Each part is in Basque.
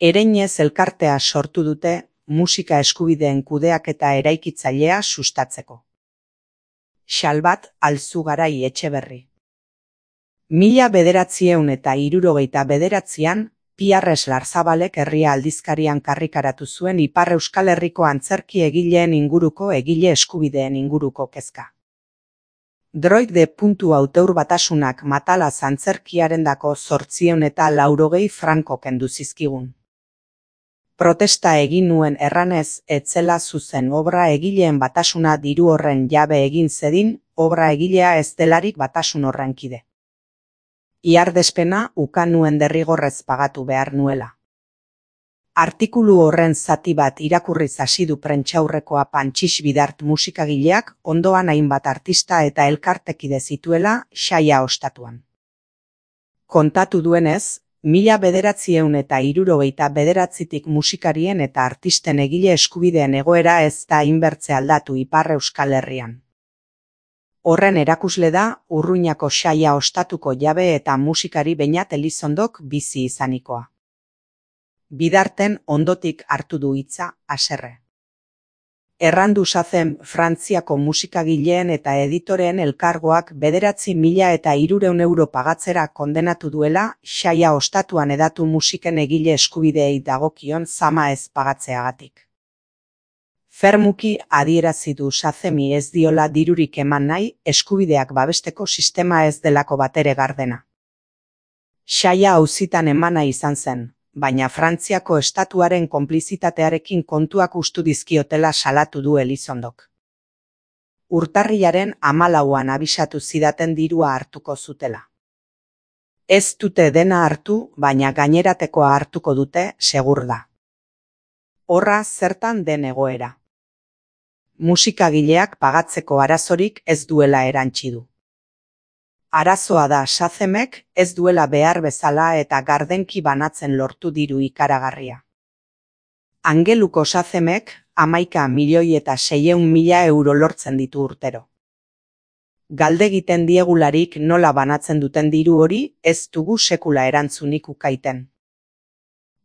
Ereinez elkartea sortu dute musika eskubideen kudeaketa eraikitzailea sustatzeko. Xalbat Alzugarai Etxeberri. 1969an Piarres Larzabalek Herria aldizkarian karrikaratu zuen Ipar Euskal Herriko antzerki egileen inguruko egile eskubideen inguruko kezka. Droid Auteur Batasunak Matalaz antzerkiarendako 880 franko kendu zizkigun. Protesta egin nuen erranez etzela zuzen obra egileen batasuna diru horren jabe egin zedin, obra egilea ez delarik batasun horren kide. Iardespena ukan nuen derrigorrez pagatu behar nuela. Artikulu horren zati bat irakurriz hasi du prentsaurrekoa Pantxix Bidart musikagileak ondoan hainbat artista eta elkartekide zituela saia ostatuan. Kontatu duenez, 1979tik musikarien eta artisten egile eskubideen egoera ez da inbertze aldatu Ipar Euskal Herrian. Horren erakusle da Urruñako saia ostatuko jabe eta musikari Beñat Elizondok bizi izanikoa. Bidarten ondotik hartu du hitza haserre. Errandu zazen Frantziako musikagileen eta editoreen elkargoak 9.300 euro pagatzera kondenatu duela saia ostatuan edatu musiken egile eskubideei dagokion zama ez pagatzeagatik. Fermuki adierazi du Sazemi ez diola dirurik eman nahi eskubideak babesteko sistema ez delako batere gardena. Saia auzitan emana izan zen, baina Frantziako estatuaren konplizitatearekin kontuak ustu dizkiotela salatu du Elizondok. Urtarrilaren 14an abisatu zidaten dirua hartuko zutela. Ez dute dena hartu, baina gaineratekoa hartuko dute, segur da. Horra zertan den egoera. Musikagileak pagatzeko arazorik ez duela erantsi du. Arazoa da Sazemek ez duela behar bezala eta gardenki banatzen lortu diru ikaragarria. Angeluko Sazemek 11.600.000 euro lortzen ditu urtero. Galdegiten diegularik nola banatzen duten diru hori ez dugu sekula erantzunik ukaiten.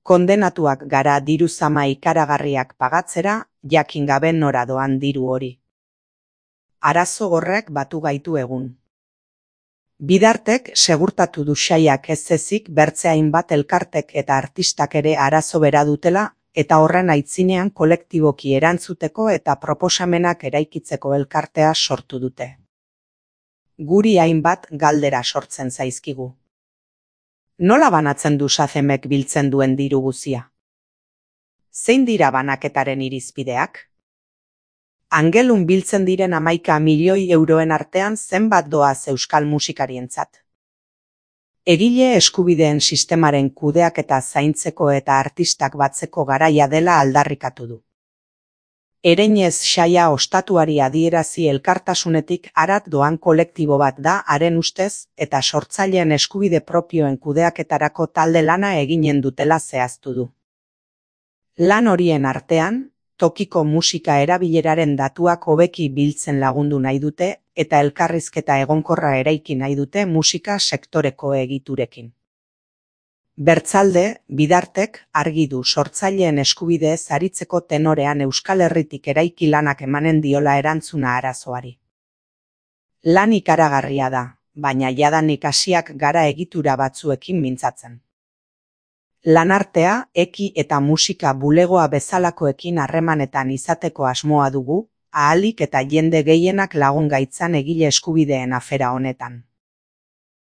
Kondenatuak gara diru zama ikaragarriak pagatzera, jakin gabe nora doan diru hori. Arazo horrek batu gaitu egun. Bidartek segurtatu du saiak ez ezik bertze hainbat elkartek eta artistak ere arazo bera dutela eta horren aitzinean kolektiboki erantzuteko eta proposamenak eraikitzeko elkartea sortu dute. Guri hainbat galdera sortzen zaizkigu. Nola banatzen du Sazemek biltzen duen diru guzia? Zein dira banaketaren irizpideak? Angelun biltzen diren 11 milioi euroen artean zenbat doaz euskal musikarientzat. Egile eskubideen sistemaren kudeaketa zaintzeko eta artistak batzeko garaia dela aldarrikatu du. Ereinez saia ostatuari adierazi elkartasunetik harat doan kolektibo bat da haren ustez eta sortzaileen eskubide propioen kudeaketarako talde lana eginen dutela zehaztu du. Lan horien artean, tokiko musika erabileraren datuak hobeki biltzen lagundu nahi dute eta elkarrizketa egonkorra eraiki nahi dute musika sektoreko egiturekin. Bertzalde, Bidartek argi du sortzaileen eskubideez aritzeko tenorean Euskal Herritik eraiki lanak emanen diola erantzuna arazoari. Lan ikaragarria da, baina jadanik hasiak gara egitura batzuekin mintzatzen. Lanartea, eki eta musika bulegoa bezalakoekin harremanetan izateko asmoa dugu, ahalik eta jende gehienak lagun gaitzan egile eskubideen afera honetan.